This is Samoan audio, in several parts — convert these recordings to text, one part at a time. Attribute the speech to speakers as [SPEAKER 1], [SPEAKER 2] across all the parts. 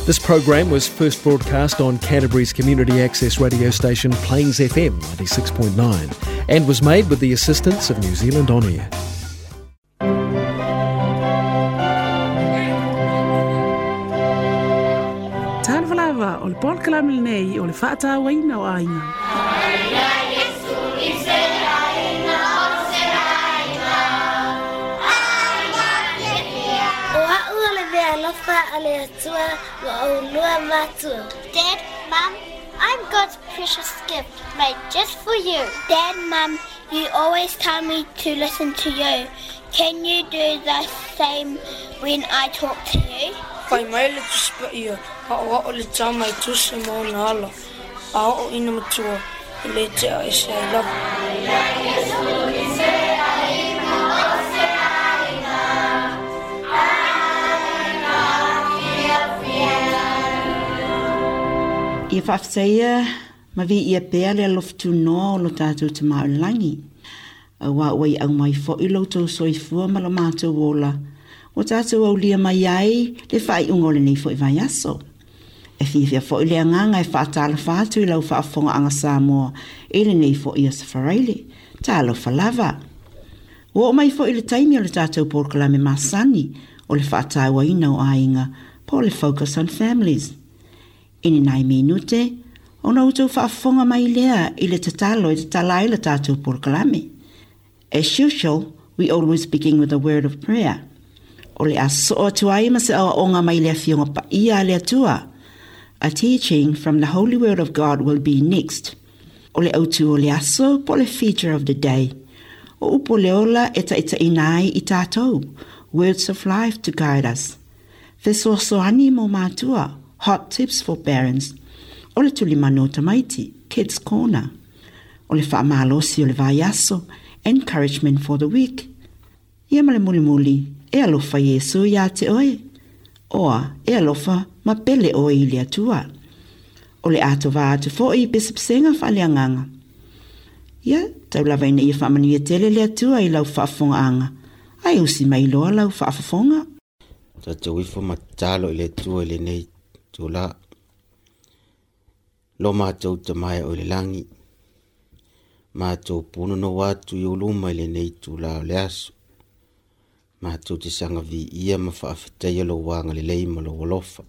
[SPEAKER 1] This program was first broadcast on Canterbury's community access radio station Plains FM 96.9 and was made with the assistance of New Zealand On Air.
[SPEAKER 2] Talofa lava, o le polokalame lenei o le faatauaina o aiga.
[SPEAKER 3] O a'u o le meaalofa a le Atua mo ʻolua matua. Dad, Mum, I'm God's precious gift made just for you. Dad, Mum, you always tell me to listen to you. Can you do the same when I talk to you?
[SPEAKER 4] Fai mai le Tusi Paia, Aʻoaʻo le tama i tusa ma ona ala, a oo ina matua, e le tea ese ai lava.
[SPEAKER 5] Ia faafetaia ma viia pea le alofa tunoa o lo tatou Tama o le Lagi, auā ua iau mai foi lo outou soifua ma lo matou ola, ua tatou aulia mai ai le faaiuga o lenei foi vaiaso. E fiafia foi le agaga e faatalofa atu i lau faafofogaaga Samoa i lenei foi Aso Faraile. Talofa lava! Ua oo mai foi le taimi o le tatou polokalame masani o le faatauaina o aiga po o le Focus on Families. I ni nai minute, ona outou faafofoga mai lea i le tatalo e tatala ai le tatou polokalame. As usual, we always begin with a word of prayer. O le a sosoo atu ai ma se aoaoga mai le Afioga Paia a le Atua. A teaching from the Holy Word of God will be next. O le autu o le aso po o le feature of the day. O upu o le ola e taitaiina ai i tatou, words of life to guide us. Fesoasoani mo mātua, hot tips for parents. O le tulimanu o tamaiti, kids corner. O le faamalosi o le vaiaso, encouragement for the week. Ia ma le mulimuli, e alofa Iesū iā te oe. Oa, e alofa ma pele oe i le Atua. O le atoa atu foi i pesepesega faaleagaga. Ia, tau lava ina ia faamanuia tele le Atua i lau faafofogaaga, ae usi mai loa lau faafofoga.
[SPEAKER 6] Tatou ifo ma tatalo i le Atua i lenei itula. Lo matou Tama e o i le lagi, matou punonou atu i ou luma i lenei itula o le aso. Matou te saga viia ma faafetaia lou agalelei ma lou alofa.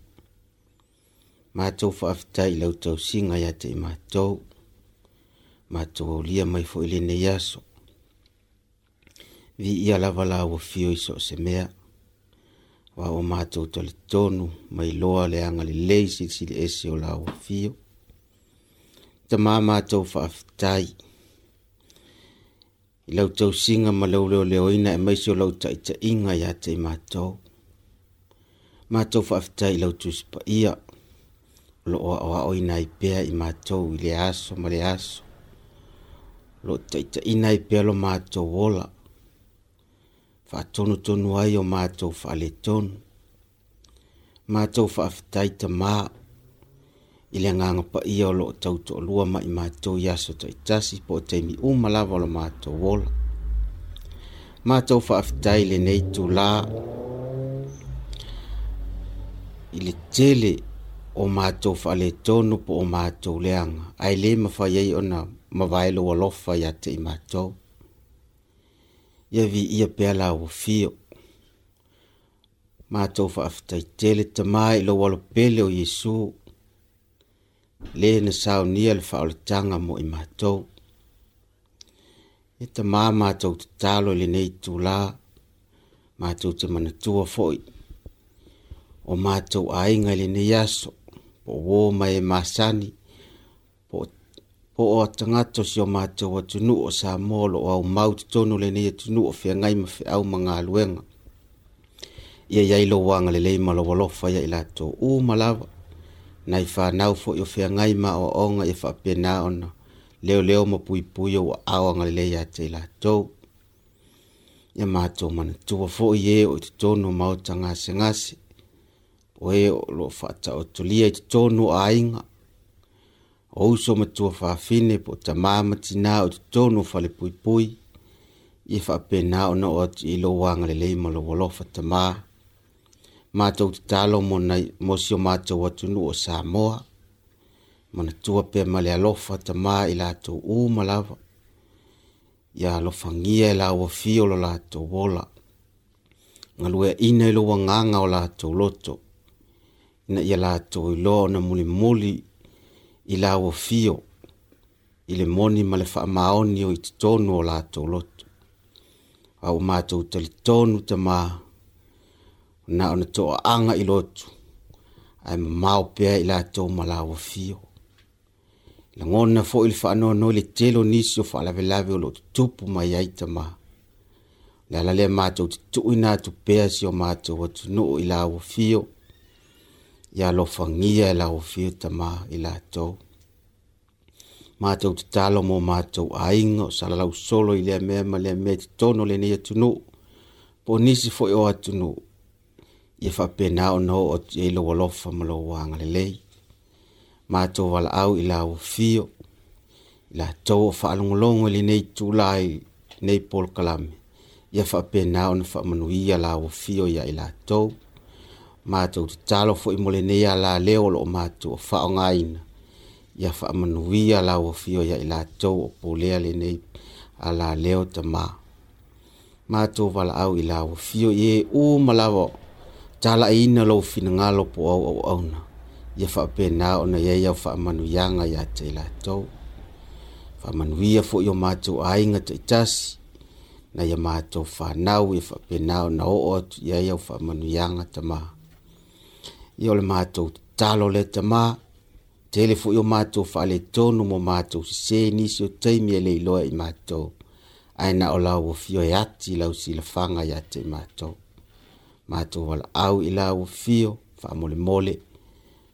[SPEAKER 6] Matou faafetai i lau tausiga ia te i matou. Matou aulia mai foi i lenei aso. Viia lava lau afio i so o se mea. Aua ua matou talitonu ma iloa le agalelei silisili ese o lau afio. Tama matou faafetai i lau tausiga ma lau leoleoina aemaise o lau taitaiga ia te i matou. Matou faafetai i lau Tusi Paia o lo o aoaoina ai pea i matou i le aso ma le aso, o lo o taitaiina ai pea lo matou ola, faatonutonu ai o matou faaletonu. Matou faafetai Tama i le Agaga Paia o lo o tautoalua ma i matou i aso taitasi po o taimi uma lava o lo matou ola. Matou faafetai i lenei itula i le tele o matou faaletonu po o matou leaga, ae le mafai ai ona mavae lou alofa ia te i matou. Ia viia pea lau afio. Matou faafetai tele Tama i lou alo pele o Iesu, le na saunia le faaolataga mo i matou. E Tama matou tatalo i lenei itula, matou te manatua foi o matou aiga i lenei aso, po o uo ma e masani, po o a tagata o si o matou atunuu o Samoa o lo o aumau i totonu o lenei atunuu o feagai ma feau ma galuega. Ia i ai lou agalelei ma lou alofa ia i latou uma lava, nai fanau foi o feagai ma aoaoga ia faapena ona leoleo ma puipui ou aao agalelei ia te i latou. Ia matou manatua foi e o i totonu o maota gasegase, o e o lo o faataotolia i totonu o aiga, o uso ma tuafafine po o tama ma tina o i totonu o falepuipui, ia faapena ona oo atu i lou agalelei ma lou alofa Tama. Matou tatalo mo nai mo si o matou atunuu o Samoa. Manatua pea ma le alofa Tamā i latou uma lava. Ia alofagia e lau afio lo latou ola. Galueaina i lou agaga o latou loto, ina ia latou iloa ona mulimuli i lau afio i le moni ma le faamaoni o i totonu o latou loto. A ua matou talitonu Tamā, na ona toaaga i lotu, ae mamao pea i latou ma lau afio. Lagona foi le faanoanoa i le tele o nisi o faalavelave o lo o tutupu mai ai Tamā. O le ala lea matou te tuuina atu pea si o matou atunuu i lau afio, ia alofagia e lau afio Tamā i latou. Matou tatalo mo matou aiga o salalau solo i lea mea ma lea mea i totonu o lenei atunuu, po o nisi foi o atunuu, ia faapena ona oo atu i ai lou alofa ma lou agalelei. Matou valaau i lau afio, i latou o faalogologo i lenei itula i lenei polokalame, ia faapena ona faamanuia lau afio ia i latou. Matou tatalo foi mo lenei alaleo o lo o matou faaaogaina, ia faamanuia lau afio ia i latou o pulea lenei alaleo Tamā. Matou valaau i lau afio i e uma lava talaiina lou finagalo po o au auauna, ia faapena ona i ai au faamanuiaga ia te i latou. Faamanuia foi o matou aiga taitasi, nai a matou fanau ia faapena ona oo atu i ai au faamanuiaga Tamā. Ia o le matou tatalo lea Tamā, tele foi o matou faaletonu mo matou sese nisi o taimi e le iloa i matou, ae na o lau afio e ati lau silafaga ia te i matou. Matou valaau i lau afio, faamolemole,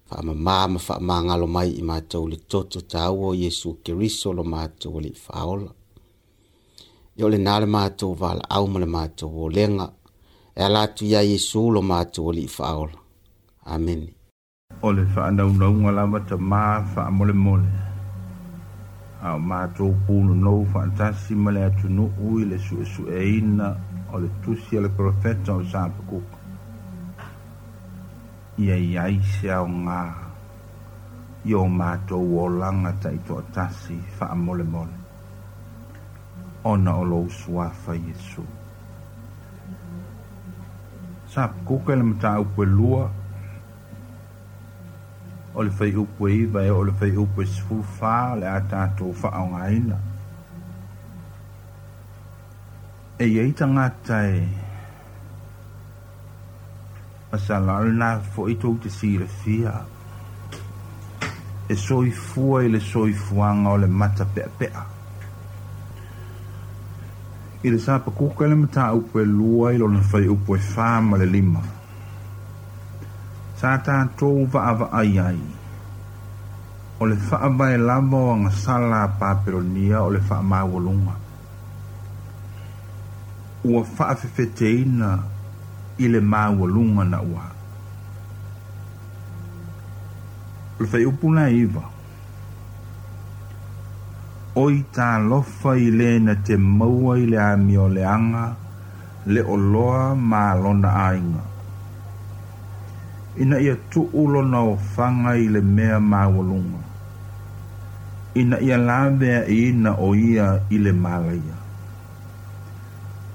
[SPEAKER 6] faamama ma faamagalo mai i matou le toto taua o Iesu Keriso lo matou Alii Faaola. Ia o lena le matou valaau ma le matou olega, e ala atu ia Iesu lo matou Alii Faaola. Amene.
[SPEAKER 7] O le faanaunauga lava Tamā faamolemole, a o matou punonou faatasi ma le atunuu i le suesueina o le tusi a le profeta o Sapakuka. Ia i ai se aoga i o matou olaga taitoatasi faamolemole, ona o lou suafa Iesu. Sapakuka i le mataupu e lua, o le fuaiupu e 9 e oo i le fuaiupu e 14 o le a tatou faaaogaina. E i ai tagata e masalo o lena foi tou te silafia e soifua i le soifuaga o le matapeapea. I le Sapakuka i le mataupu e lua i lona fuaiupu e 4 ma le 5, sa tatou vaavaai ai o le faavae lava o agasala a Papelonia o le faamaualuga, ua faafefeteina i le maualuga naua. O le fuaiupu la 9, oi talofa i le na te maua i le amioleaga le oloa ma lona aiga, ina ia tuu lona ofaga i le mea maualuga, ina ia laveaiina o ia i le malaia.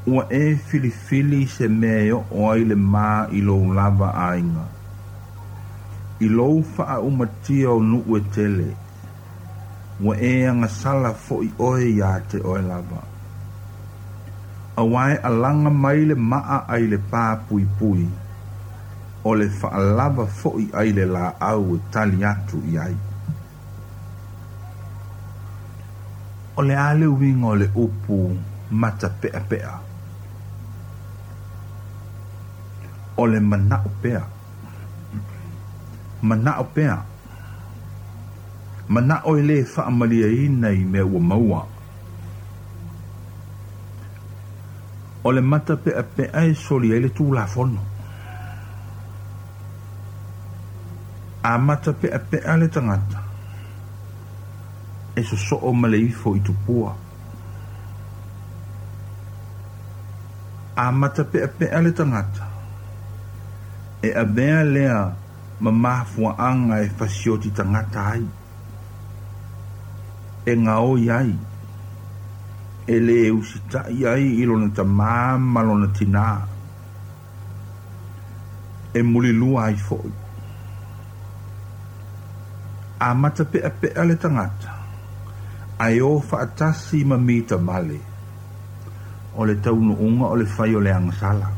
[SPEAKER 7] Ua e filifili se mea e oo ai le ma i lou lava aiga, i lou faaumatia o nuu e tele, ua e agasala foi oe ia te oe lava. Auā e alaga mai le maa ai le pā puipui, o le faalava foi ai le laau e tali atu i ai. O le a le uiga o le upu matapeapea? O le manao pea. Manao pea. Manao e lē faamaliaina i mea ua maua. O le matapeapea e soli ai le tulafono. A matapeapea le tagata, e sosoo ma le ifo i tupua. A matapeapea le tagata, E avea lea ma mafuaaga e fasioti tagata ai, e gaoi ai, e lē usitaʻi ai i lona tamā ma lona tinā, e mulilua ai foʻi. A matapeʻapeʻa le tagata, ae o faatasi ma mita vale, o le taunuuga o le fai o le agasala.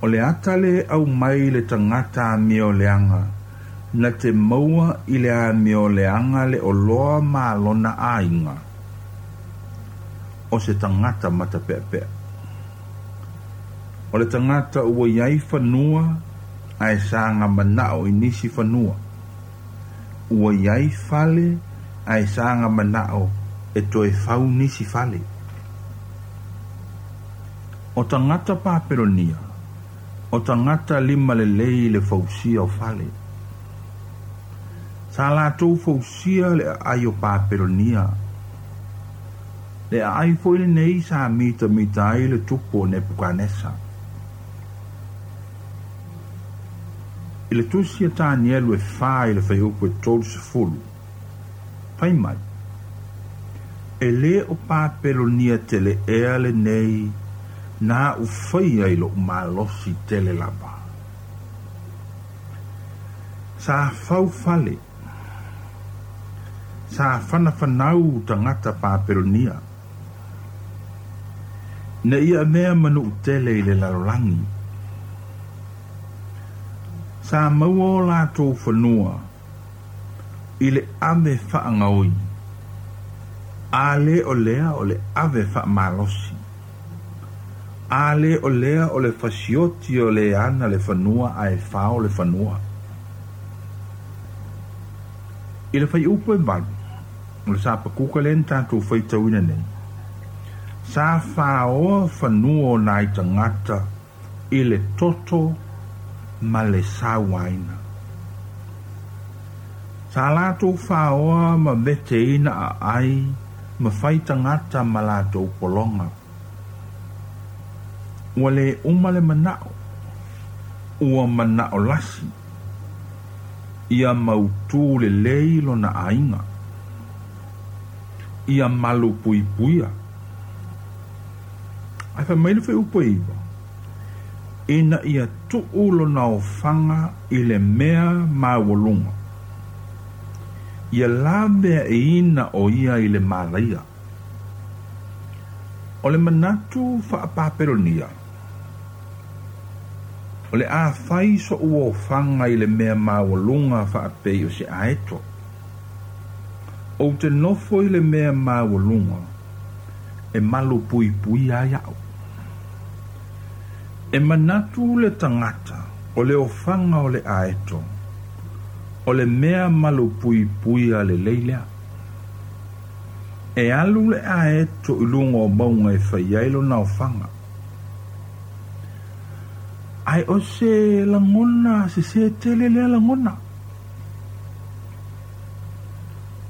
[SPEAKER 7] O le ata le aumai i le tagata amioleaga na te maua i le amioleaga le oloa ma lona aiga, o se tagata matapeapea. O le tagata ua i ai fanua ae saga manao i nisi fanua, ua i ai fale ae saga manao e toe fau nisi fale. O tagata Papelonia, o tagata limalelei i le fausia o fale. Sa latou fausia le aai o Papelonia. Le aai foi lenei sa mitamita ai le tupu o Nepukanesa. I le tusi a Tanielu e 4 i le fuaiupu e 30, fai mai, E lē o Papelonia tele ea lenei na aʻu faia i loʻu malosi tele lava. Sa fau fale, sa fanafanau tagata Papelonia, ina ia avea ma nuu tele i le lalolagi. Sa maua o latou fanua i le ave faagaoi, a lē o lea o le ave faamalosi, a lē o lea o le fasioti o le ana le fanua ae fao le fanua. I le fuaiupu e 8, o le Sapakuka lea na tatou faitauina nei, sa faoa fanua o nai tagata i le toto ma le sauaina. Sa latou faoa ma veteina aai ma fai tagata ma latou pologa. Ua lē uma le manao, ua manao lasi, ia mautū lelei lona aiga, ia malupuipuia. Ae fai mai le fuaiupu e 9, ina ia tuu lona ofaga i le mea maualuga, ia laveaiina o ia i le malaia. O le manatu faapapelonia, o le a fai soʻu ofaga i le mea maualuga faapei o se aeto, ou te nofo i le mea maualuga e malupuipuia ai aʻu. E manatu le tagata o le ofaga o le aeto, o le mea malupuipuia lelei lea. E alu le aeto i luga o mauga e fai ai lona ofaga. Ae o se lagona sesē tele lea lagona.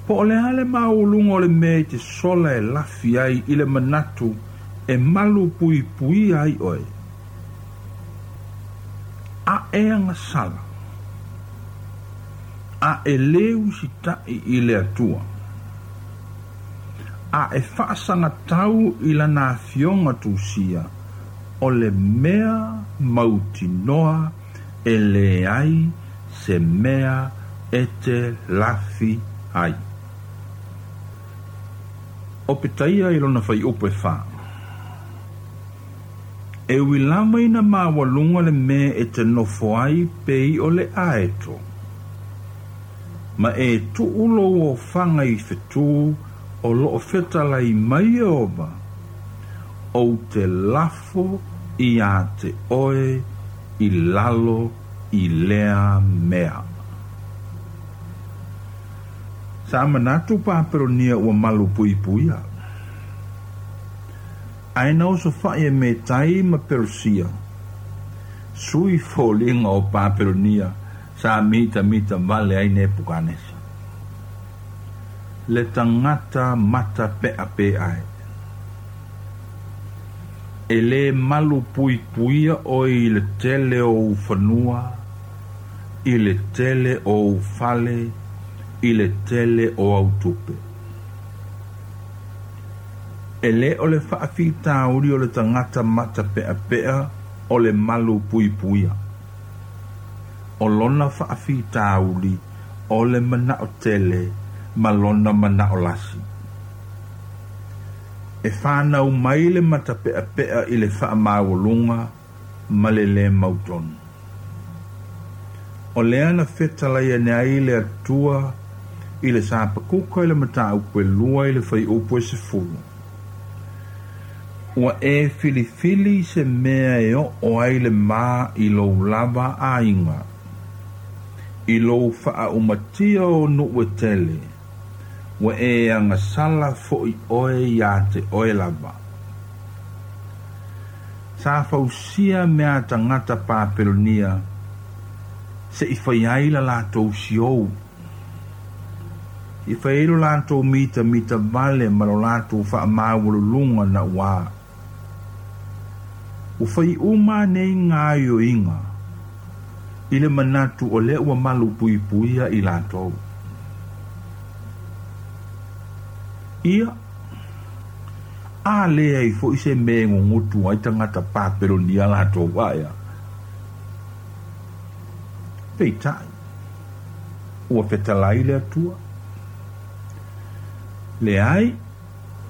[SPEAKER 7] Po o le a le maualuga o le mea i te sola e lafi ai i le manatu e malupuipuia ai oe, ae agasala, a e lē usitaʻi i le Atua, a e faasagatau i lana afioga tusia, o le mea mautinoa e leai se mea e te lafi ai. O Petaia i lona fuaiupu e 4, E ui lava ina maualuga le mea e te nofo ai pei o le aeto, ma e tuu lou ofaga i fetū o loo fetalai mai Ieova, ou te lafo iā te oe i lalo i lea mea. Sa manatu Papelonia ua malupuipuia, ae na osofaʻi e Metai ma Perosia, sui foliga o Papelonia sa mitamita vale ai Nepukanesa, le tagata matapeapea. E lē malupuipuia oe i le tele o ou fanua, i le tele o ou fale, i le tele o au tupe. E lē o le faafitauli o le tagata matapeapea o le malupuipuia. O lona faafitauli o le manao tele ma lona manao lasi. E fanau mai le matapeapea i le faamaualuga ma le lē mautonu. O lea na fetalai ane ai le Atua i le Sapakuka i le mataupu e 2 i le fuaiupu e 10. Ua e filifili se mea e oo ai le ma i lou lava aiga, i lou faaumatia o nuu e tele, ua e agasala foʻi oe iā te oe lava. Sa fausia mea a tagata Papelonia se i fai ai la latou siou, i fai ai lo latou mitamita vale ma lo latou faamaualuluga nauā. Ua fai uma nei gaoioiga i le manatu o lea ua malupuipuia i latou. Ia, a leai foʻi se mea e gogotu ai tagata Papelonia latou ae a. Peitai, ua fetalai le Atua. Leai,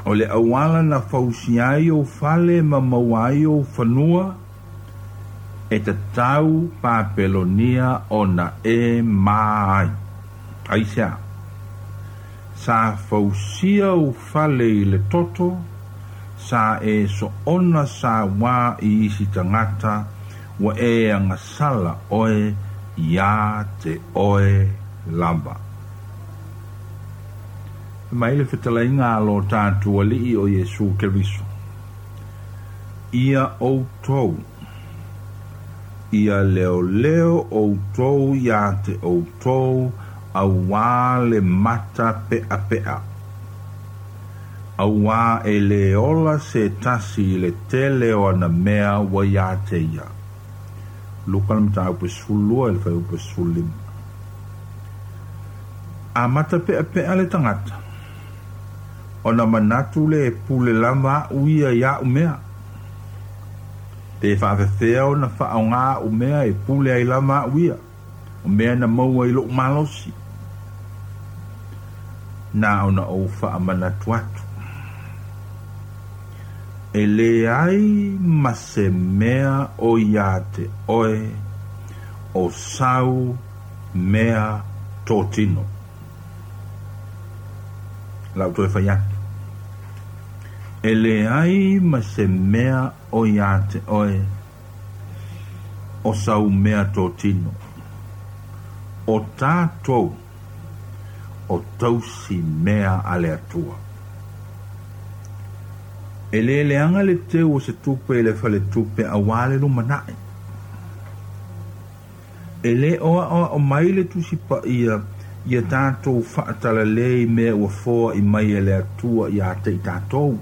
[SPEAKER 7] o le auala na fausia ai ou fale ma maua ai ou fanua, e tatau Papelonia ona e ma ai. Aisea? Sa fausia ou fale i le toto, sa e soona sauā i isi tagata, ua e agasala oe iā te oe lava. Fai mai le fetalaiga a lo tatou Alii o Iesu Keriso, Ia outou, ia leoleo outou iā te outou auā le mata peapea. Auā e lē ola se tasi i le tele o ana mea ua iā te ia. Luka le mataupu e 12 i le fuaiupu e 15. A matapeapea le tagata, ona manatu lea e pule lava aʻu ia i aʻu mea. Pe faafefea ona faaaoga aʻu mea e pule ai lava aʻu ia, o mea na maua i loʻu malosi. Na ona ou faamanatu atu, e leai ma se mea o iā te oe o sau mea totino. O le a ou toe fai atu, e leai ma se mea o iā te oe o sau mea totino. O tatou o tausi mea a le Atua. E lē leaga le teu o se tupe i le faletupe auā le lumanai. E lē o aʻoaʻo mai le Tusi Paia ia tatou faatalale i mea ua foaʻi mai e le Atua iā te i tatou.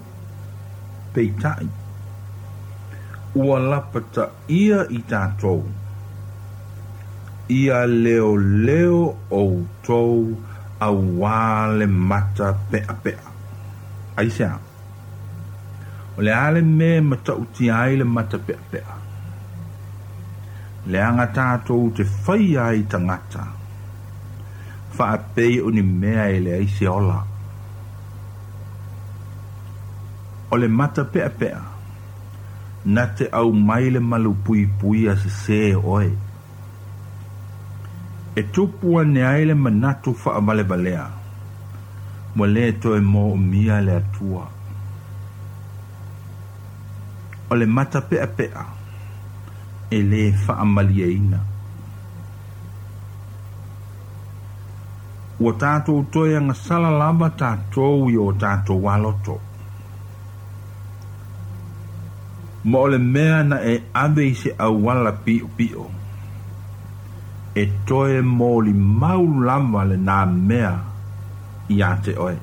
[SPEAKER 7] Peitai, ua lapataia i tatou, ia leoleo outou auā le mata peapea. Aisea? O le a le mea e matautia ai le mata peapea? Leaga tatou te faia ai tagata, faapei o ni mea e leai se ola. O le mata peapea, na te aumai le malupuipuia sesē o oe. E tupu ane ai le manatu faavalevalea, ua lē toe moomia le Atua. O le mata peapea, e lē faamalieina. Ua tatou toe agasala lava tatou i o tatou aloto. Ma o le mea na e ave i se auala piʻopiʻo, e toe molimau lava lenā mea iā te oe.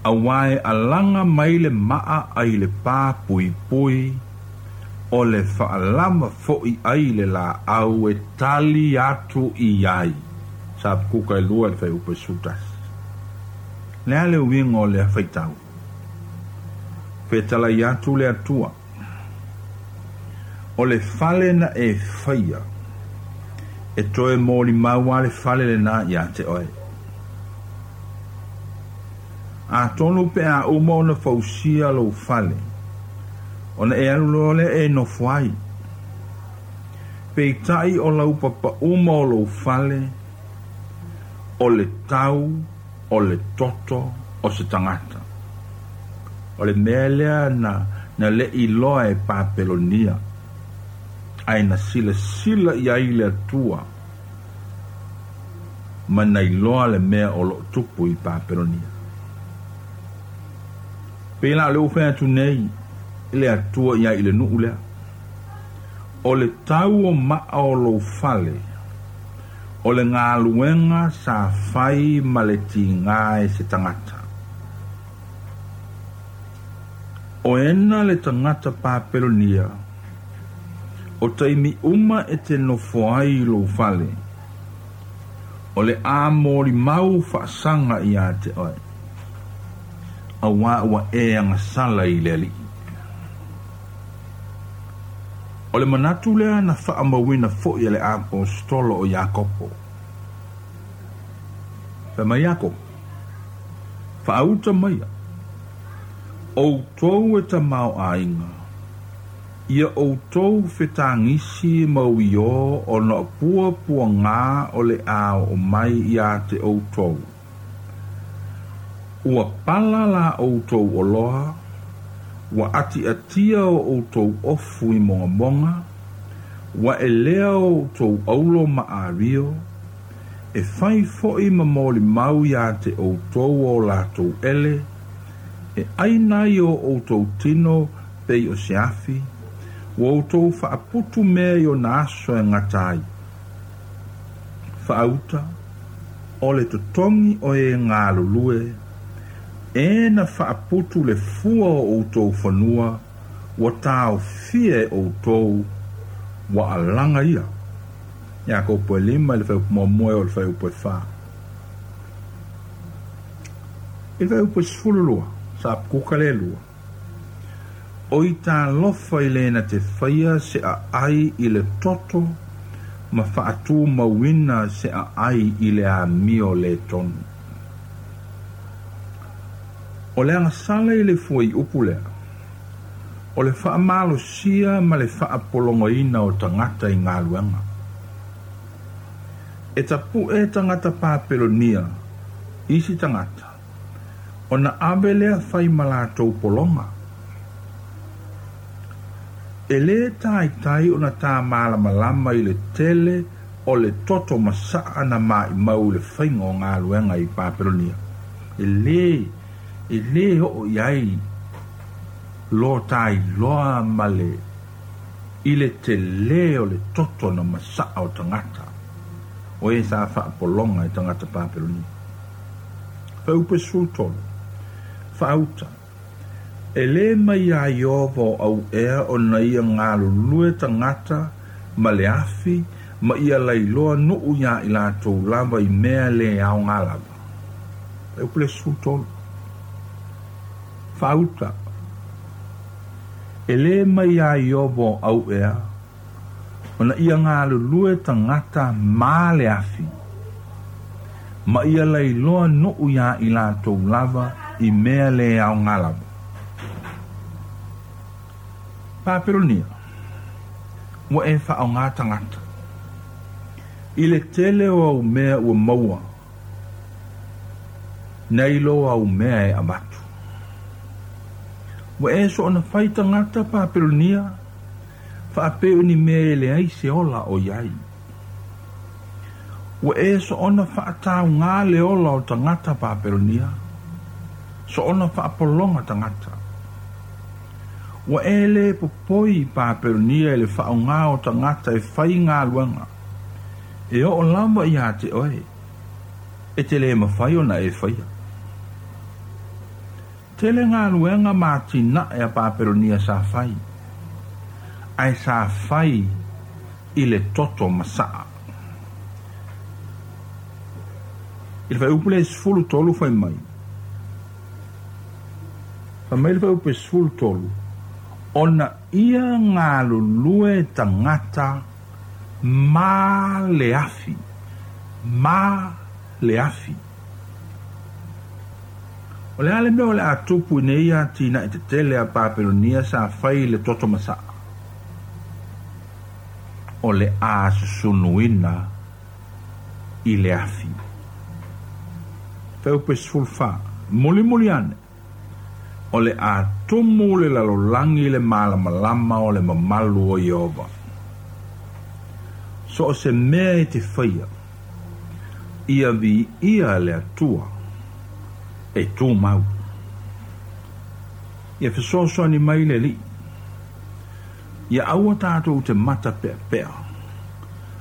[SPEAKER 7] Auā e alaga mai le maa ai le pā puipui, o le faalama foʻi ai le laau e tali atu i ai. Sa Hapakuka e 2 i le fuaiupu e 11. Le a le uiga o lea faitau? Fetalai atu le Atua, O le fale na e faia, e toe molimau lava le fale lenā iā te oe. Atonu pe a uma ona fausia lou fale, ona e alu loa lea e nofo ai. Peitai o laupapa uma o lou fale, o le tau o le toto o se tagata. O le mea lea na na le iloa e Papelonia, ae na silasila i ai le Atua ma na iloa le mea o lo o tupu i Papelonia. Pei la o lea ua fai atu nei le Atua ia i le nuu lea, O le tau o maa o lou fale, o le galuega sa fai ma le tigā e se tagata. O ena le tagata Papelonia, o taimi uma e te nofo ai i lou fale, o le a molimau faasaga iā te oe, auā ua e agasala i le Alii. O le manatu lea na faamauina foi e le aposetolo o Iakopo. Fai mai Iakopo, Faauta maia, outou e tamaoaiga, ia outou fetagisi ma uiō ona o puapuagā o le a oo mai iā te outou. Ua pala la outou oloa, ua atiatia o outou ofu i mogamoga, ua elea o outou aulo ma ario, e fai foʻi ma molimau iā te outou o latou ele, e ʻaina ai o outou tino pei o se afi, ua outou faaputu mea i ona aso e gata ai. Faauta, o le totogi o e galulue, e na faaputu le fua o outou fanua ua taofia e outou, ua alaga ia. Iakopo e 5 i le fuaiupu muamua e oo i le fuaiupu e 4. I le fuaiupu e 12, sa Hapakuka le 2. Oi talofa i le na te faia se aai i le toto ma faatumauina se aai i le amio lē tonu. O le agasala i le fuaiupu lea, o le faamalosia ma le faapologaina o tagata i galuega. E tapuʻe tagata Papelonia isi tagata, ona ave lea fai ma latou pologa. E lē taitai ona tā malamalama i le tele o le toto masaa na maʻimau i le faiga o galuega i Papelonia. E lē, e lē oo i ai lo tā iloa ma le, i le telē o le toto na masaa o tagata o e sa faapologa e tagata Papelonia. Fuaiupu e 13, Faauta, E lē mai iā Ieova o ʻauʻea ona ia galulue tagata ma le afi ma ia lailoa nuʻu iā i latou lava i mea lē aogā lava. Fuaiupu le 13, Faauta, E lē mai iā Ieova o ʻauʻea ona ia galulue tagata ma le afi, ma ia lailoa nuʻu iā i latou lava i mea lē aogā lava. Papelonia, ua e faaaogā tagata i le tele o au mea ua maua nei lo au mea e avatu. Ua e soona fai tagata Papelonia faapea o ni mea e leai se ola o i ai. Ua e soona faataugā le ola o tagata Papelonia, soona faapologa tagata. Ua e lē popoi Papelonia i le faaaogā o tagata e fai galuega, e oo lava iā te oe, e te lē mafai ona e faia. Tele galuega ma atinae a Papelonia sa fai, ae sa fai i le toto masaa. I le fuaiupu lea e 13 fai mai, fai mai le fuaiupu e 13, ona ia galulue tagata ma le afi, ma le afi. O le a le mea o le a tupu i nei atinae tetele a Papelonia sa fai i le toto masaa? O le a susunuina i le afi. Fuaiupu e 14, Mulimuli ane, o le a tumu le lalolagi i le malamalama o le mamalu o Ieova. So o se mea e te faia, ia viia le Atua e tumau. Ia fesoasoani mai le Alii. Ia aua tatou te mata peapea,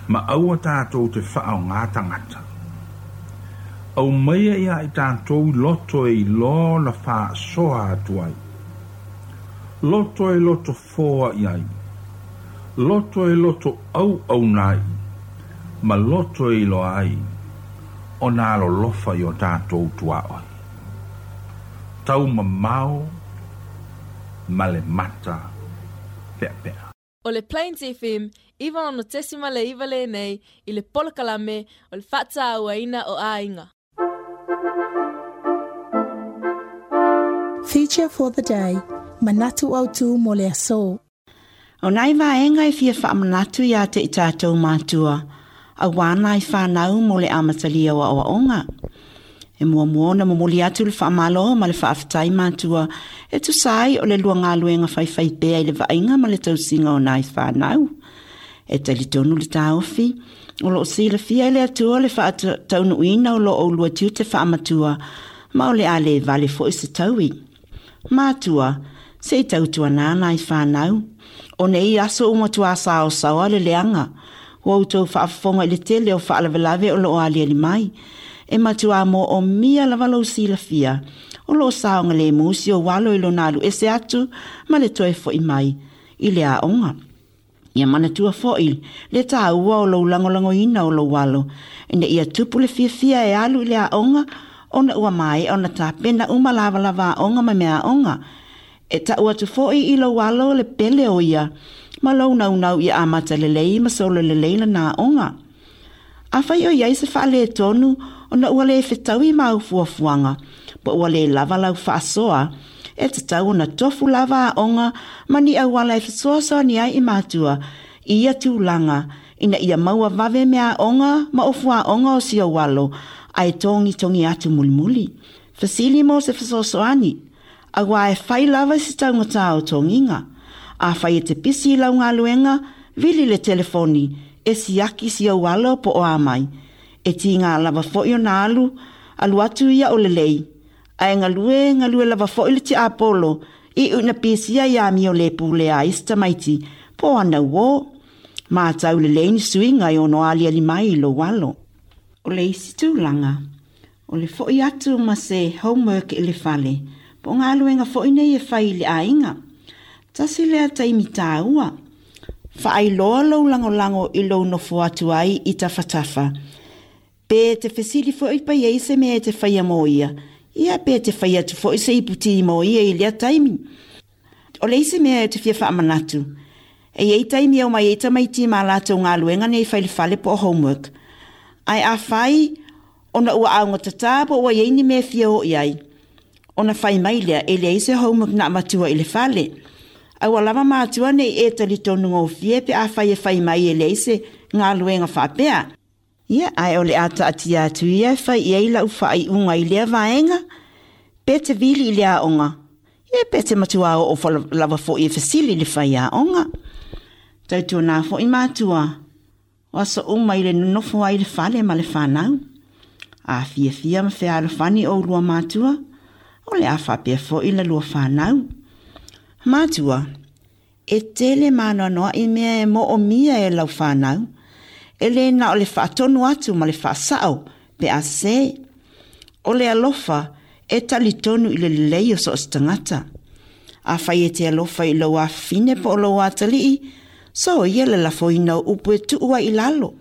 [SPEAKER 7] ma aua tatou te faaaogā tagata. Aumaia ia i tatou i loto e iloa ona faasoa atu ai. Loto e loto foai ai, loto e loto auauna ai, ma loto e iloa ai ona alolofa i o tatou tuaoi. Taumamao ma le mata peapea.
[SPEAKER 8] O le Plains FM 96.9 lenei i le polokalame o le Faatauaina o Aiga.
[SPEAKER 2] Feature for the day, Manatu Autu mo le aso.
[SPEAKER 5] O nai vaega e fia faamanatu iā te i tātou mātua, auā nai whānau mo le amatalia o aoaoga. E muamua ona momoli atu le faamalo ma le faafetai matua e tusa ai o le lua galuega faifaipea i le vaaiga ma le tausiga o nai fanau. E talitonu le taofi, o loo silafia e le Atua le faataunuuina o lo oulua tiute faamatua ma o le a le vale foi se taui. Matua, se i tautuanā nai fanau. O nei aso ua matuā saosaoa le leaga, ua outou faafofoga i le tele o faalavelave o loo aliali mai. E matuā moomia lava lou silafia, o loo saogalemu si ou alo i lona alu ese atu ma le toe fo'i mai i le aoga. Ia manatua fo'i le tāua o lou lagolagoina o lou alo, ina ia tupu le fiafia e alu i le aoga ona ua maea ona tapena uma lavalava aoga ma mea aoga. E ta'u atu fo'i i lou alo le pele o ia ma lou naunau ia amata lelei ma solo lelei lana aoga. Afai o i ai se faaletonu ona ua le fetaui mau fuafuaga, po ua le lava lau faasoa, e tatau ona tofu lava aoga ma ni auala e fesoasoani ai i matua i ia tulaga ina ia maua vave mea aoga ma ofu aoga o si ou alo, ae togitogi atu mulimuli. Fesili mo se fesoasoani, auā e fai lava i se taugata o togiga. Afai e te pisi i lau galuega, vili le telefoni e siaki si ou alo po o a mai. E tiga lava fo'i ona alu, alu atu ia o lelei. Ae galue, galue lava fo'i le tiapolo, i una pisia i amio le pulea ai se tamaiti, po o ana uō. Matau lelei ni suiga e ono aliali mai i lou alo. O le isi tulaga, o le fo'i atu ma se homework i le fale, po o galuega fo'i nei e fai i le aiga. Tasi lea taimi tāua. Faailoa lou lagolago i lou nofo atu ai i tafatafa. Pe te fesili fo'i pe i ai se mea e te faia mo ia, ia pe te fai atu fo'i se ipu tī mo ia i lea taimi. O le isi mea e te fia faamanatu, e i ai taimi e omai ai tamaiti ma latou galuega nei fai i le fale po o homework. Ae afai ona ua augatatā po ua i ai ni mea e fia o i ai, ona fai mai lea e leai se homework na avatua i le fale. Aua lava matua nei e talitonu gofie pe afai e fai mai e leai se galuega faapea. Ia, ae o le a taatia atu ia e fai i ai lau faaiuga i lea vaega, pe te vili i le aoga, ia pe te matua oo lava fo'i e fesili i le faiaoga. Tautuanā fo'i matua, o aso uma i le nonofo ai i le fale ma le fanau. A fiafia ma fealofani oulua matua, o le a faapea fo'i la lua fanau. Matua, e tele maanoanoa'i mea e moomia e lau fanau, e lē na o le faatonu atu ma le faasa'o pe a sesē. O le alofa E talitonu i le lelei o so o se tagata. Afai e te alofa i lou afafine po o lou atalii, soia le lafoina o upu e tuu ai i lalo.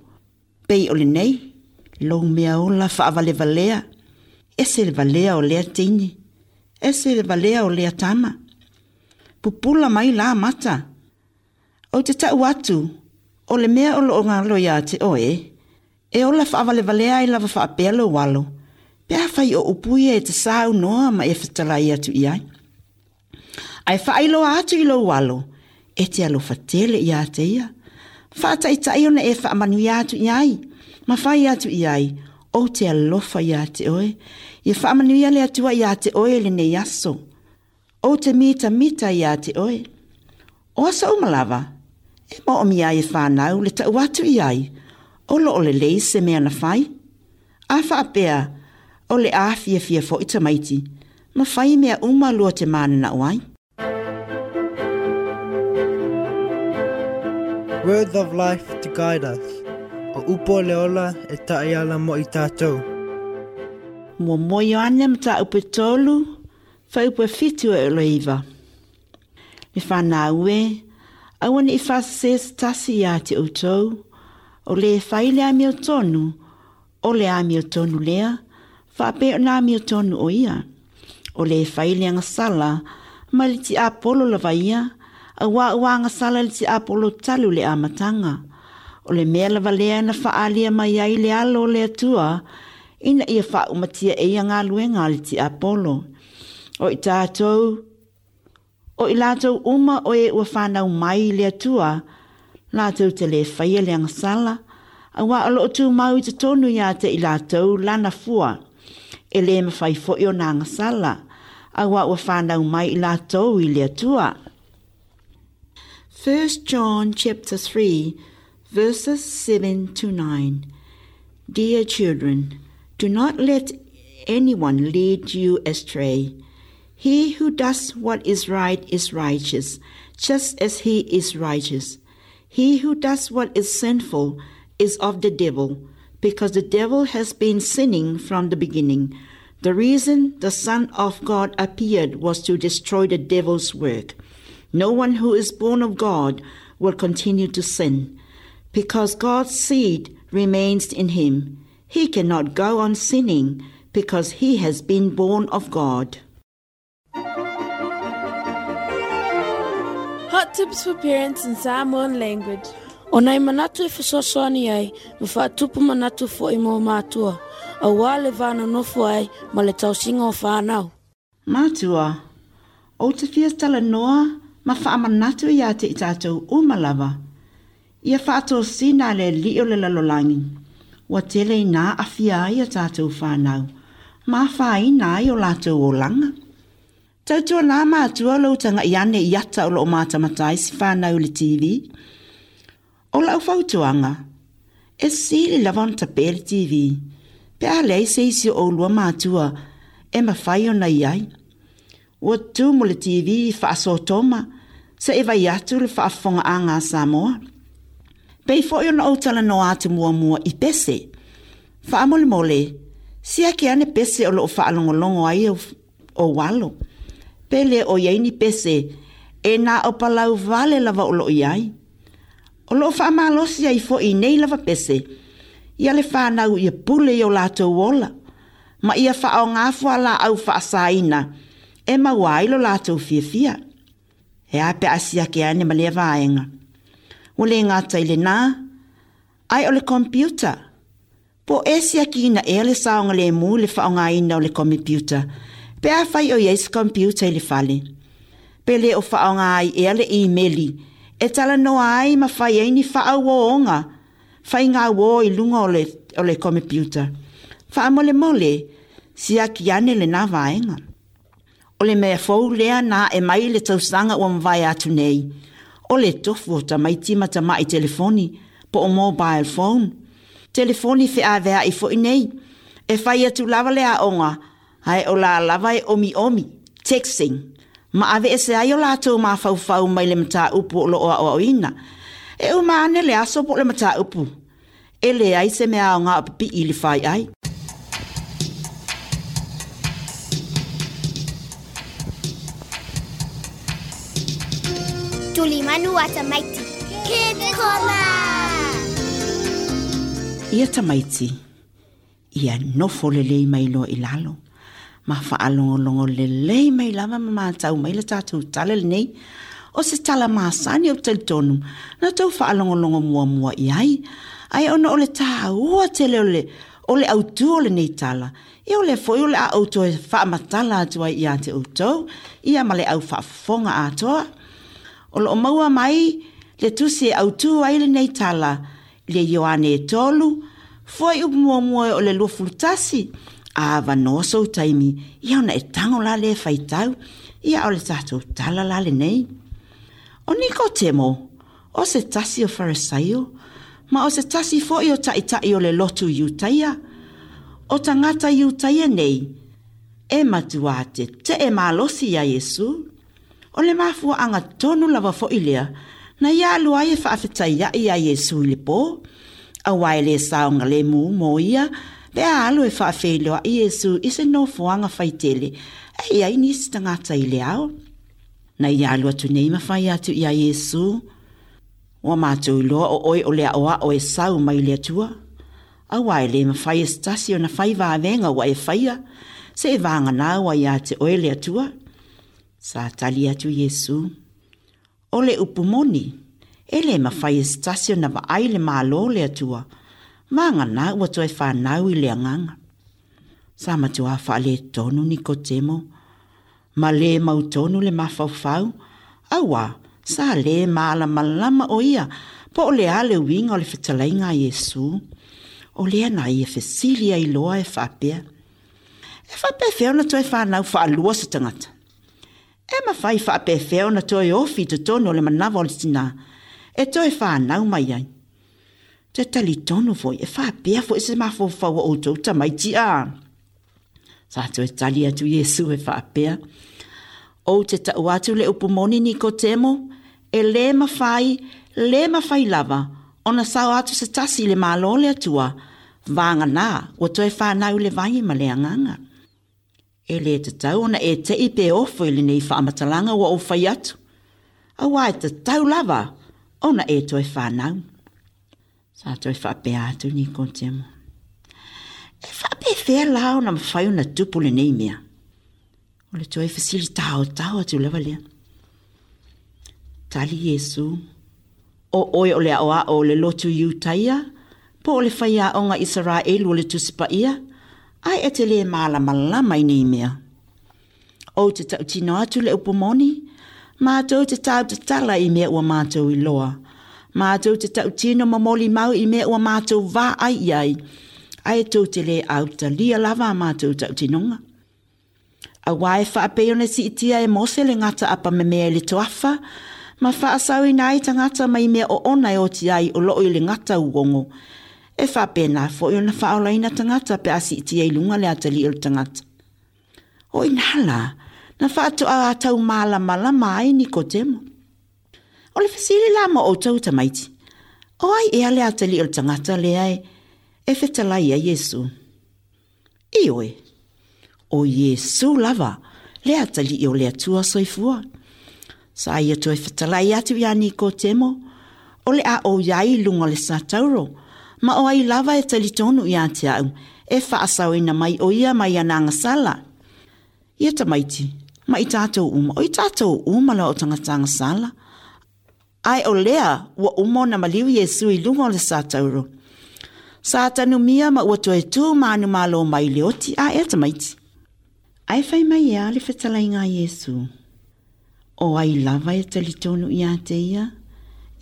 [SPEAKER 5] Pei o lenei, lou mea ola faavalevalea, ese le valea o lea teine, ese le valea o lea tama. Pupula mai la mata. Ou te tau atu, o le mea o loo galo iā te oe, e ola faavalevalea ai lava faapea lou alo, pe afai o upu ia e te saunoa ma e fetalai atu i ai. Ae faailoa atu i lou alo, e te alofa tele iā te ia. Faataitai ona e faamanuia atu i ai, ma fai atu i ai, ou te alofa iā te oe. Ia faamanuia le Atua iā te oe i lenei aso. Ou te mitamita iā te oe. O aso uma lava, e moomia ai e whānau le tau atu i ai, o loo lelei se mea na fai. A faapea, o le a fiafia fo'i tamaiti, ma fai mea uma lua te manana'o ai.
[SPEAKER 9] Words of life to guide us. O upu o le ola e taʻiala mo i tatou.
[SPEAKER 5] Muamua Ioane mataupu e tolu, fuaiupu e fitu e o le iva. Le fanau e, aua ne i faasese se tasi iā te outou, o lē fai le amiotonu, o le amiotonu lea, faapea ona amiotonu o ia. O lē fai le agasala, mai le tiapolo lava ia, auā ua agasala le tiapolo talu le amataga. O le mea lava lea na faaalia mai ai le Alo o le Atua, ina ia faaumatia e ia galuega a le tiapolo. O i tatou, O i latou uma o e ua fanau mai i le Atua, latou te lē faia le agasala, auā o loo tumau i totonu iā te i latou lana fua. E lē mafai fo'i ona agasala, auā ua fanau mai i latou i le Atua. 1 John chapter 3 verses 7 to 9. Dear children, do not let anyone lead you astray. He who does what is right is righteous, just as he is righteous. He who does what is sinful is of the devil, because the devil has been sinning from the beginning. The reason the Son of God appeared was to destroy the devil's work. No one who is born of God will continue to sin, because God's seed remains in him. He cannot go on sinning because he has been born of God.
[SPEAKER 8] Hot tips for parents in Samoan language.
[SPEAKER 4] O nai manatu e fesoasoani ai ma faatupu manatu fo'i mo mātua, auā le va nonofo ai ma le tausiga o whānau.
[SPEAKER 5] Matua, ou te fia talanoa ma faamanatu iā te i tatou uma lava. Ia faatosina le Alii o le lalolagi, ua tele ina aafia ai a tatou fanau, ma afaina ai o latou olaga. Tautuanā matua lou taga'i ane i ata o loo matamata ai se fanau i le TV. O lau fautuaga, e sili lava ona tape le TV, pe a leai se isi o oulua matua e mafai ona i ai. Ua tumu le TV i faasotoma seʻi vai atu le faafofogaaga a Samoa. Pei foʻi ona ou talanoa atu muamua i pese. Faamolemole, siaki ane pese o loo faalogologo ai ou alo. Pe le o i ai ni pese e na o palau vale lava o loo i ai. O loo faamalosi ai foʻi i nei lava pese ia le fanau ia pule i o latou ola, ma ia faaaogā fualaau faasaina e maua ai lo latou fiafia. E a pe a siaki ane ma lea vaega. Ua le gata i lenā, ae o le computer. Po o e siakiina ea le saogalēmū i le faaaogāina o le komepiuta, pe afai o i ai se computer i le fale. Pe le o faaaogā ai ea le imeli e talanoa ai ma fai ai ni faauōga faigauō i luga o le, o le komepiuta. Faamolemole, siaki ane lenā vaega. O le mea fou lea na ae mai i le tausaga ua mavae atu nei, o le tofu o tamaiti ma tamaʻi telefoni, po o mobile phone. Telefoni feaveaʻi foʻi nei. E fai atu lava le aoga, ae o la lava e omiomi, texting, ma aveese ai o latou mafaufau mai le mataupu o loo aoaoina. E uma ane le aso po o le mataupu. E leai se mea aoga o pipii i le faiai.
[SPEAKER 3] Tulimanu a Tamaiti. Kids Corner!
[SPEAKER 5] Ia tamaiti, ia nofo lelei mai loa i lalo, ma faalogologo lelei mai lava ma matau mai le tatou tala lenei. O se tala masani ou te talitonu, na tou faalogologo muamua i ai, ae ona o le tāua tele o le, o le autū o lenei tala, ia o lea foi o le a ou toe faamatala atu ai ia te outou, ia ma le au faafofoga atoa. O lo o maua mai le tusi e autū ai lenei tala, i le Ioane e 3, fuaiupu muamua o le 21, a avanoa sou taimi, ia ona e tago la lea e faitau, ia o le tatou tala la lenei. O Nikotemo, o se tasi o Farisaio, ma o se tasi foi o ta'ita'i o le lotu Iutaia. O tagata Iutaia nei, e matuā tete'e malosi iā Iesu. O le mafuaaga tonu lava foi lea na ia alu ai e faafetaia'i iā Iesu i le pō, auā e lē saogalemu mo ia pe a alu e faafeiloa'i Iesu i se nofoaga faitele e i ai nisi tagata i le ao. Na ia alu atu nei ma fai atu iā Iesu, Ua matou iloa o oe o le aʻoaʻo e sau mai le Atua, auā e lē mafai e se tasi ona fai vavega ua e faia, seʻe vagana ua iā te oe le Atua. Sa tali atu Iesu, O le upu moni, e lē mafai e se tasi ona vaai le Malo o le Atua, vagana ua toe fanau i le Agaga. Sa matuā faaletonu Nikotemo, ma lē mautonu le mafaufau, auā sa lē malamalama ʻo ia po o le a le uiga o le fetalaiga a Iesu. O lea na ia fesili ai loa e faapea, E faapefea ona toe fanau faalua se tagata? E mafai faapefea ona toe ofi i totonu o le manava o le tinā e toe fanau mai ai? Te talitonu foi e faapea foi se mafaufau o outou tamaiti a? Sa toe tali atu Iesu e faapea, Ou te ta'u atu le upu moni Nikotemo, e lē mafai, lē mafai lava ona sao atu se tasi i le Malo o le Atua, vagana ua toe fanau i le vai ma le Agaga. E lē tatau ona e te'i pe ofo i lenei faamatalaga ua ou fai atu, auā e tatau lava ona e toe fanau. Sa toe faapea atu Nikotemo, E faapefea la ona mafai ona tupu lenei mea? O le toe fesili taotao atu lava lea. Tali Iesu, O oe o le aʻoaʻo o le lotu Iutaia, po o le faiaoga Isaraelu o le Tusi Paia, ae e te lē malamalama i nei mea. Ou te tautino atu le upu moni, matou te tautatala i mea ua matou iloa. Matou te tautino ma molimau i mea ua matou vaai i ai, ae tou te lē autalia lava a matou tautinoga. Auā e faapei ona siitia e Mose le gata apamemea i le toafa, ma faasauina ai tagata mai mea oona e oti ai o loo i le gata uogo, e faapena foi ona faaolaina tagata pe a siitia i luga le atalii o le tagata. O i ina la, na faatoa taumalamalama ai Nikotemo. O le fesili la mo outou tamaiti, o ai ea le atalii o le tagata lea e, e fetalai ai Iesu? Ioe, o Iesu lava, le atalii o le Atua soifua. Sa ia toe fetalai atu iā Nikotemo, o le a ou i ai i luga o le satauro, ma o ai lava e talitonu ia te a'u, e faasaoina mai ʻo ia mai ana agasala. Ia tamaiti, ma i tatou uma, o i tatou uma lava o tagata agasala. Ae o lea ua uma ona maliu Iesu i luga o le satauro. Sa tanumia ma ua toe tū manumalo mai i le oti a ea tamaiti. Ae fai mai e a le fetalaiga a Iesu. O ai lava e talitonu ia te ia,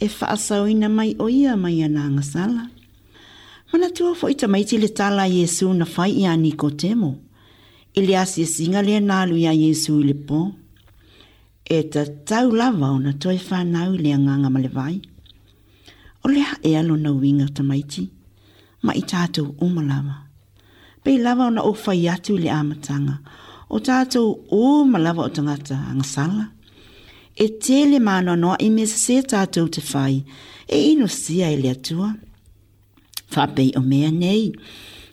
[SPEAKER 5] e faasaoina mai ʻo ia mai ana agasala. Manatua foi tamaiti le tala a Iesu na fai iā Nikotemo, i le asiasiga lea na alu iā Iesu i le pō. E tatau lava ona toe fanau i le Agaga ma le vai. O le a ea lona uiga tamaiti, ma i tatou uma lava. Pei lava ona ou fai atu i le amataga, o tatou uma lava o tagata agasala. E tele maanoanoaʻi mea sesē tatou te fai, e inosia e le Atua. Faapei o mea nei,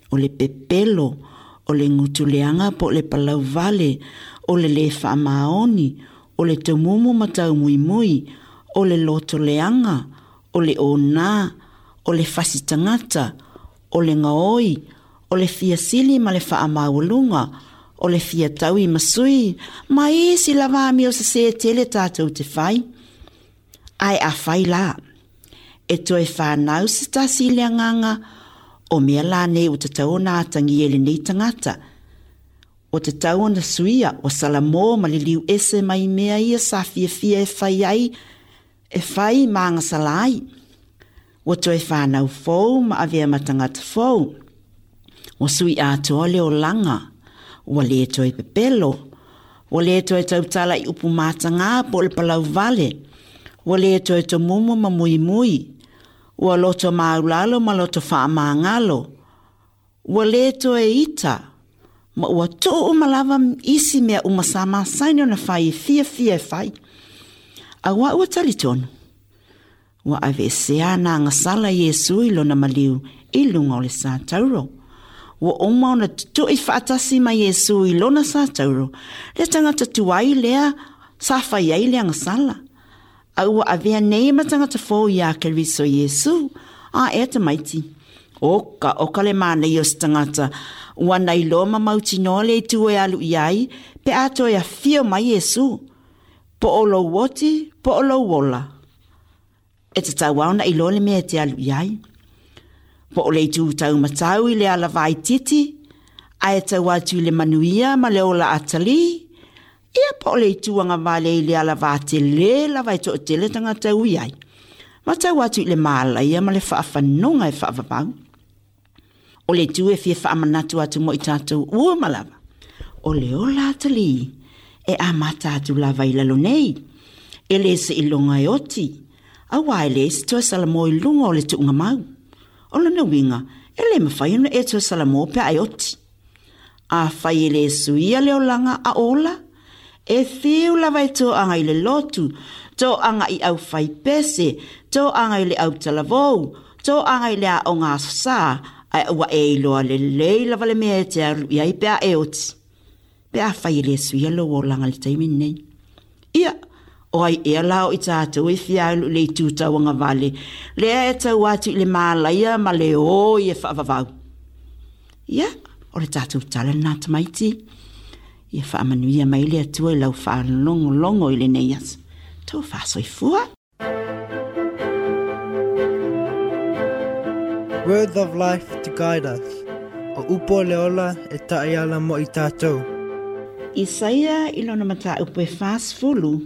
[SPEAKER 5] o le pepelo, o le gutuleaga po o le palauvale, o le lē faamaoni, o le tumumu ma taumuimui, o le loto leaga, o le onā, o le fasi tagata, o le gaoi, o le fia sili ma le faamaualuga, o le fia taui ma sui, ma isi lava amio sesē tele tatou te fai. Ae afai la, e toe fanau se tasi i le agaga, o mea la nei ua tatau ona atagia i lenei tagata, ua tatau ona suia, ua salamo ma liliu ese mai mea ia sa fiafia e fai ai, e fai ma agasala ai. Ua toe fanau fou ma avea ma tagata fou. Ua sui atoa le olaga. Ua lē toe pepelo. Ua lē toe tautala i upu matagā po o le palau vale. Ua lē toe tomumu ma muimui. Ua loto maulalo ma loto faamagalo. Ua lē toe ita, ma ua tuu uma lava isi mea uma sa masani ona fai e fiafia e fai. Auā ua talitonu, ua aveesea ana agasala Iesu i lona maliu i luga o le satauro. Ua uma ona tutui faatasi ma Iesu i lona satauro, le tagata tuai lea sa fai ai le agasala. A ua avea nei ma tagata fou iā Keriso Iesu, a ea tamaiti. Oka, oka le manaia o se tagata, ua na iloa ma mautinoa le itu e alu i ai, pe a toe afio mai Iesu. Po o lou oti, po o lou ola. E tatau lava ona iloa le mea e te alu i ai. Po o le itu taumatau i le ala vaitiiti, ae tau atu i le manuia ma le ola atalī, ia po o le itu agavale i le ala vatelē lava e toatele tagata e ui ai, ma tau atu i le malaia ma le faafanuga e faavavau. O le itu e fia faamanatu atu mo i tatou uma lava, o le ola atalī e amata atu lava i lalo nei, e lē seiloga e oti, auā e leai se toe salamo i luga o le tuugamau. O lona uiga, e lē mafai ona e toe salamo pe a e oti. Afai e lē suia le olaga a ola, e fiu lava e toaga i le lotu, toaga i aufaipese, toaga i le autalavou, toaga i le aoga aso Sa, ae ua e iloa lelei lava le mea e te alu i ai pe a e oti. Pe afai e lē suia lou olaga i le taimi lenei. Ia, o ai ea la o i tatou e fia alu i le itu tauagavale, lea e tau atu i le malaia ma le oi e faavavau. Ia, o le tatou tala lenā tamaiti. Ia faamanuia mai le Atua i lau faalogologo i lenei aso. Tou faasoifua.
[SPEAKER 9] Words of life to guide us. O upu o le ola e taiala mo i tatou.
[SPEAKER 5] Isaia i lona mataupu e 40,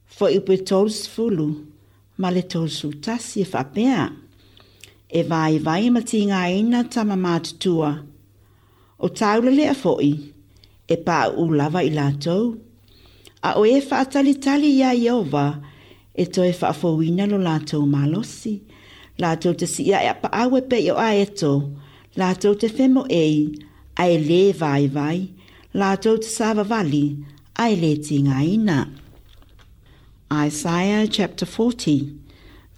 [SPEAKER 5] fuaiupu e 30 ma le 31 e faapea, E vaivai ma tigaina tama matutua, O tāulalea foi, e paʻu lava i latou. A o e faatalitali iā Ieova, e toe faafouina lo latou malosi. Latou te sii ae apaau e pei o aeto, latou te femoei, ae lē vaivai, latou te savavali, ae lē tigaina. Isaiah chapter 40,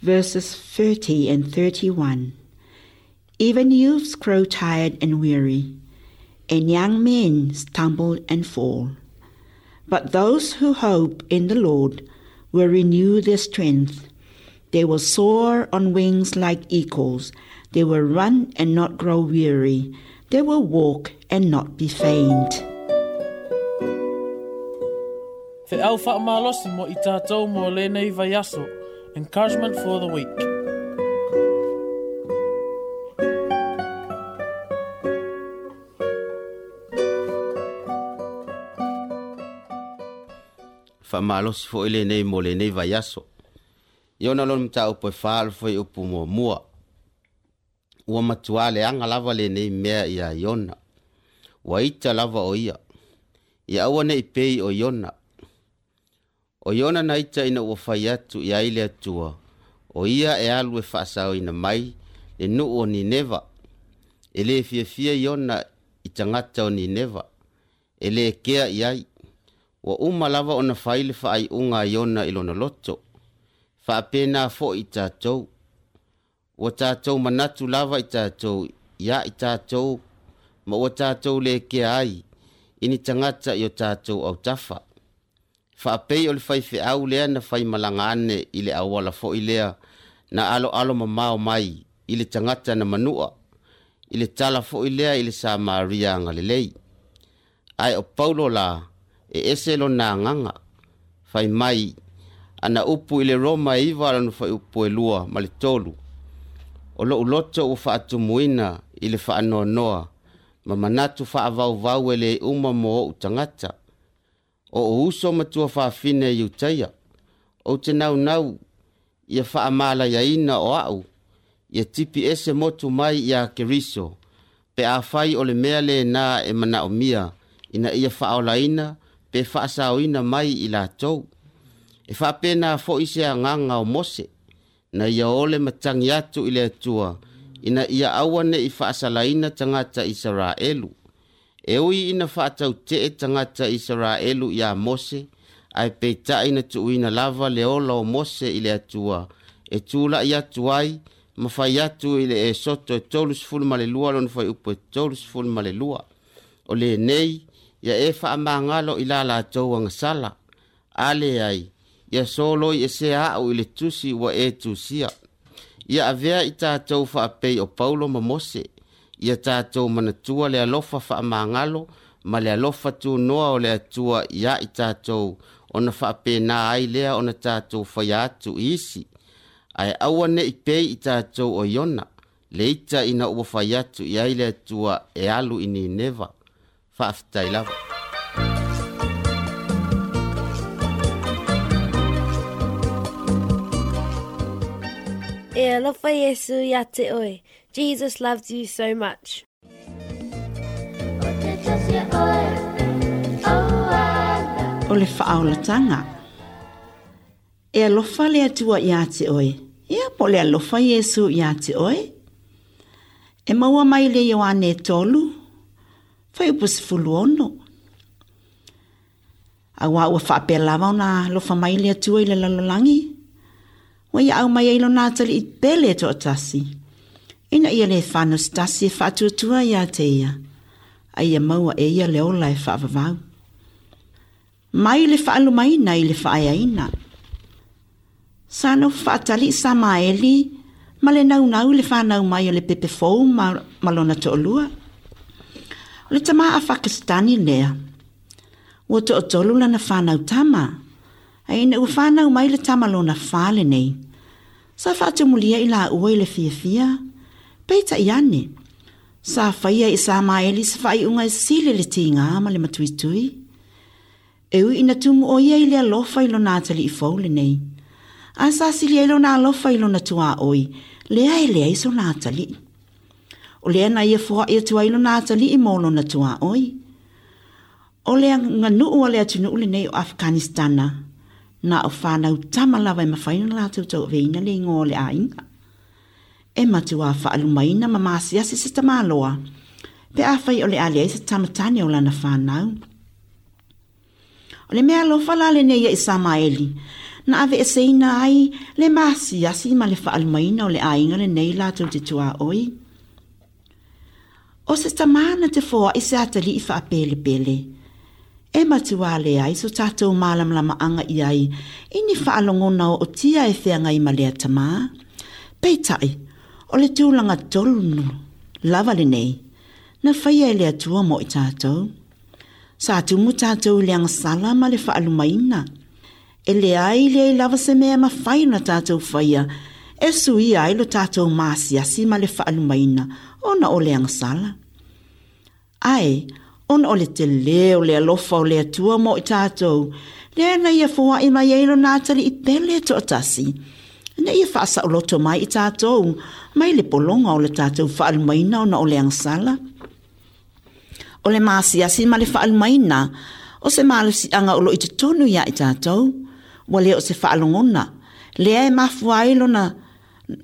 [SPEAKER 5] verses 30 and 31. Even youths grow tired and weary, and young men stumble and fall. But those who hope in the Lord will renew their strength. They will soar on wings like eagles. They will run and not grow weary. They will walk and not be faint.
[SPEAKER 10] Feau faamalosi mo i tatou mo lenei vaiaso. Encouragement for the week.
[SPEAKER 6] Faamalosi foi lenei mo lenei vaiaso. Iona lona mataupu e fa le fuaiupu muamua. Ua matuā leaga lava lenei mea iā Iona. Ua ita lava o ia. Ia aua ne i pei o Iona. O Iona na ita ina ua fai atu i ai le Atua, o ia e alu e faasaoina mai le nuu o Nineva. E lē fiafia Iona i tagata o Nineva, e lē kea i ai. Ua uma lava ona fai le faaiuga a Iona i lona loto. Faapena foi i tatou. Ua tatou manatu lava i tatou iā i tatou ma ua tatou lē kea ai i ni tagata i o tatou autafa. Faapei o le faifeau lea na faimalaga ane i le auala foi lea na aloalo mamao mai i le tagata na manua, i le tala foi lea i le Samaria agalelei. Ae o Paulo la, e ese lona agaga, fai mai ana upu i le Roma e 9 lona fuaiupu e 2 ma le 3, O lou loto ua faatumuina i le faanoanoa ma manatu faavauvau e le uma mo ou tagata, o ou uso ma tuafafine i Iutaia, ou te naunau ia faamalaiaina o au, ia tipi ese motu mai iā Keriso, pe afai o le mea lena e manaomia ina ia faaolaina pe faasaoina mai i latou. E faapena foi se agaga o Mose, na ia ole matagi atu i le Atua, ina ia aua ne i faasalaina tagata Isaraelu. E ui ina faatautee tagata Isaraelu iā Mose, ae peitai na tuuina lava le ola o Mose i le Atua, e tulai atu ai ma fai atu i le Esoto e 32 lona fuaiupu e 32, O lenei, ia e faamagalo i la latou agasala, a leai, ia soloi esea a'u i le tusi ua e tusia. Ia avea i tatou faapei o Paulo ma Mose, ia tatou manatua le alofa faamagalo ma le alofa tunoa o le Atua iā i tatou, ona faapena ai lea ona tatou faia atu i isi. Ae aua ne i pei i tatou o Iona, le ita ina ua fai atu i ai le Atua e alu i Nineva. Faafetai lava.
[SPEAKER 8] E alofa Iesu ia te oe. Jesus loves you so much.
[SPEAKER 5] O le faaolataga. E alofa le Atua iā te oe. Ia, po o le alofa Iesu iā te oe. E maua mai le Ioane 3, fuaiupu 16. Auā ua faapea lava ona alofa mai le Atua i le lalolagi, ua ia aumai ai lona atalii pele e toatasi, ina ia le fanau se tasi e faatuatua iā te ia, a ia maua e ia le ola e faavavau. Mai le faalumaina i le faaeaina. Sa nofo faatali Samaeli ma le naunau i le fanau mai o le pepe fou ma, ma lona toalua. O le tama a Pakistani lea. Ua toatolu lana fanau tama, a ina ua fanau mai le tama lona wha lenei. Sa faatumulia i laua i le fiafia, peitai ane, sa faia i Samaeli se faaiuga e sili le tiga ma le matuitui. E ui ina tumu ʻo ia i le alofa i lona atalii fou lenei, a sa sili ai lona alofa i lona tuaoi, lea e leai sona atalii. O lea na ia foai atu ai lona atalii mo lona tuaoi. O le aganuu a le atunuu lenei o Afghanistana, na o fanau tama lava e mafai ona latou tauaveina le igoa o le aiga. E matuā faalumaina ma masiasi se tamaloa, pe afai o le a leai se tama tane o lana fanau. O le mea alofa la lenei ia i Samaeli, na aveeseina ai le masiasi ma le faalumaina o le aiga lenei latou te tuaoi. O se tama na te foai se atalii faapelepele, e matuā leai so tatou malamalamaaga i ai i ni faalogona ootia e feagai ma lea tama. Peitai, o le tulaga tonu lava lenei na faia e le Atua mo i tatou. Sa tumu tatou i le agasala ma le faalumaina. E leai leai lava se mea e mafai ona tatou faia e suia ai lo tatou masiasi ma le faalumaina ona o le agasala. Ae, ona o le telē o le alofa o le Atua mo i tatou, lea na ia foai mai ai lona atalii pele toatasi, ina ia faasaoloto mai i tatou mai le pologa o le tatou faalumaina ona o le agasala. O le masiasi ma le faalumaina o se malosiaga o lo o i totonu iā i tatou, ua le o se faalogona, lea e mafua ai lona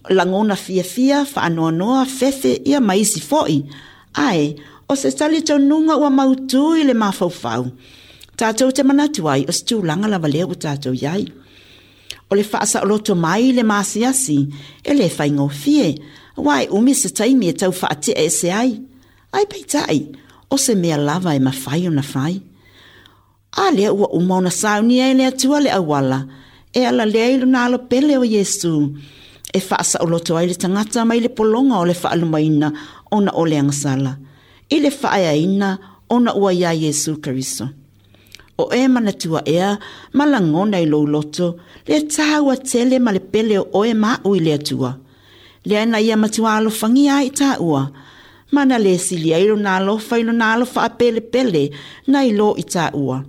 [SPEAKER 5] lagona fiafia, faanoanoa, fefe, ia ma isi foi. Ae, o se talitonuga ua mautū i le mafaufau, tatou te manatu ai o se tulaga lava lea ua tatou i ai. O le faasaoloto mai i le masiasi e le faigofie, aua e umi se taimi e tau faatea ese ai. Ae peitai, o se mea lava e mafai ona fai. A lea ua uma ona saunia e le Atua le auala e alalea i lona alo pele o Iesu, e faasaoloto ai le tagata mai le pologa o le faalumaina ona o le agasala, i le faaeaina ona ua iā Iesu Keriso. O e manatua ea ma lagona i lou loto le tāua tele ma le pele o oe ma aʻu i le Atua. Lea na ia matua alofagia ai tāua, ma na le sili ai lona alofa i lona alo faapelepele nai lo i tāua.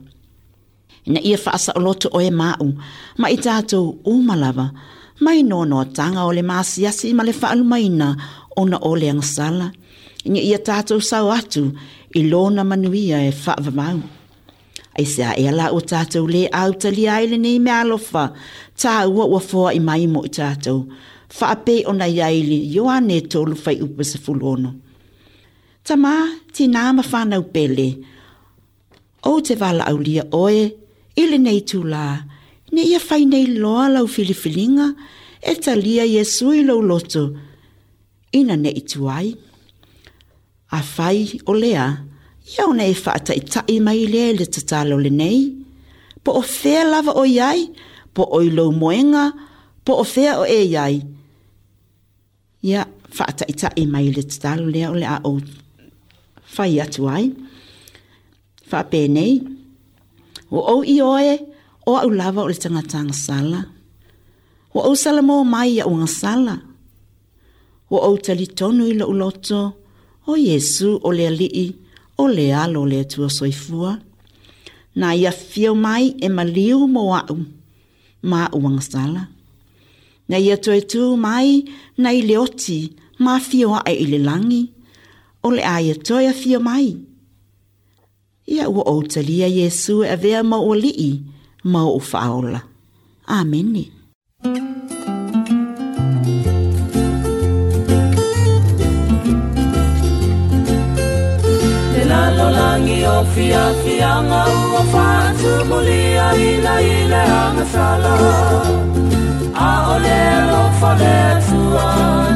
[SPEAKER 5] Ina ia faasaoloto oe ma aʻu, ma i tātou uma lava, mai noanoatanga o le maasiasi ma le faalumaina ona o le agasala, ina ia tātou sao atu i lona manuia e faavavau. Aisea ea la ua tātou lē autalia ai lenei meaalofa tāua ua foai mai mo i tātou, faapei ona i ai i le Ioane 3 fuaiupu 16. Tamā, tinā ma whānau pele, ou te valaaulia oe i lenei itulā, ina ia fai nei loa lau filifiliga e talia Iesu i lou loto, ina ne i tuai. Afai o lea, ia ona e faataʻitaʻi mai lea i le tatalo lenei, Po o fea lava o i ai, po o i lou moega, po o fea o e i ai, ia faataʻitaʻi mai i le tatalo lea o le a ou fai atu ai. Faapenei, Ua ou ioe o aʻu lava o le tagata agasala. Ua ou salamo mai iaʻu agasala. Ua ou talitonu i loʻu loto, ʻo Iesū o le Aliʻi, o le Alo o le Atua Soifua. Na ia afio mai e maliu mo aʻu ma aʻu agasala. Na ia toe tū mai nai le oti ma afio aʻe i le lagi, o le a ia toe afio mai. Ia ua ou talia Iesū e avea ma ou Aliʻi ma oʻu Faaola. Amene.
[SPEAKER 11] Le lalolagi o fiafiaga ua faatumulia ina i le agasala A o le alofa o le Atua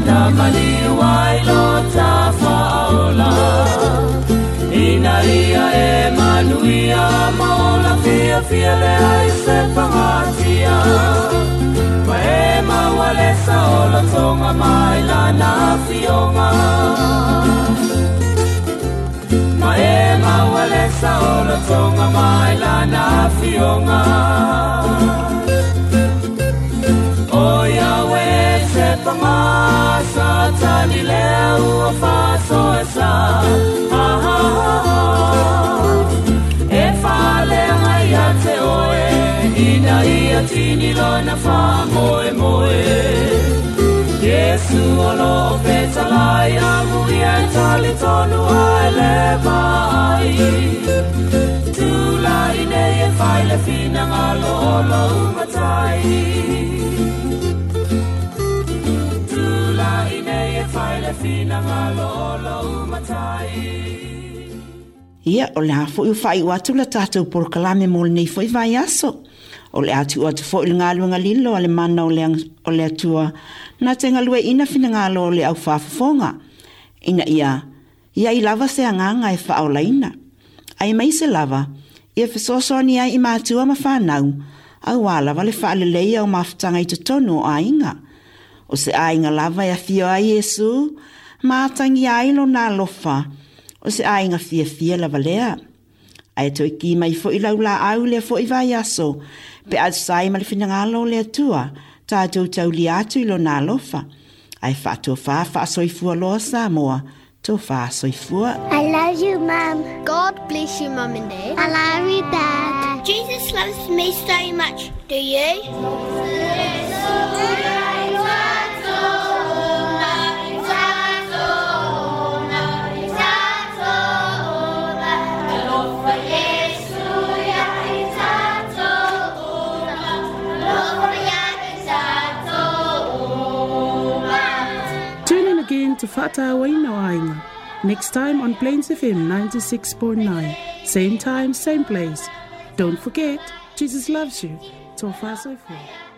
[SPEAKER 11] na maliu ai lo ta faaola Ina ia e manuia ma ola fiafia leai se pagatia Ma e maua le saolotoga mai lana afioga Ma e maua le saolotoga mai lana afioga O Yahweh se paga Satani lea ua faasoesa Ha ha ha ha E faaleaga ia te oe Ina ia tini lona faamoemoe Iesu o lo o fetalai Amuia e talitonu ai le vaai Tulai nei e fai le finagalo o lou Matai Tulai nei e fai le finagalo o lou Matai.
[SPEAKER 5] Ia, o le a foi ua faaiu atu la tatou polokalame mo lenei foi vaiaso. O le a tuu atu foi le galuega lilo a le mana o le, o le Atua na te galueaiina finagalo o le au faafofoga, ina ia i ai lava se agaga e faaolaina, aemaise lava ia fesoasoani ai i matua ma fanau, auā lava le faaleleia o mafutaga i totonu o aiga. O se aiga lava e afio ai Iesu ma atagia ai lona alofa, o se aiga fiafia lava lea. Ae toe ki mai foi lau laau i lea foi vaiaso, pe a tusa ai ma le finagalo o le Atua, tatou taulia atu i Lona alofa. Ae faatofā faasoifua loa Samoa, tofā soifua.
[SPEAKER 3] I love you, Mum. God bless you, Mum and Dad. I love you, Dad. Jesus loves me so much. Do you?
[SPEAKER 2] Tune in again to Fa'atauaina o Aiga next time on Plains FM 96.9. Same time, same place. Don't forget, Jesus loves you. Tofa soifua.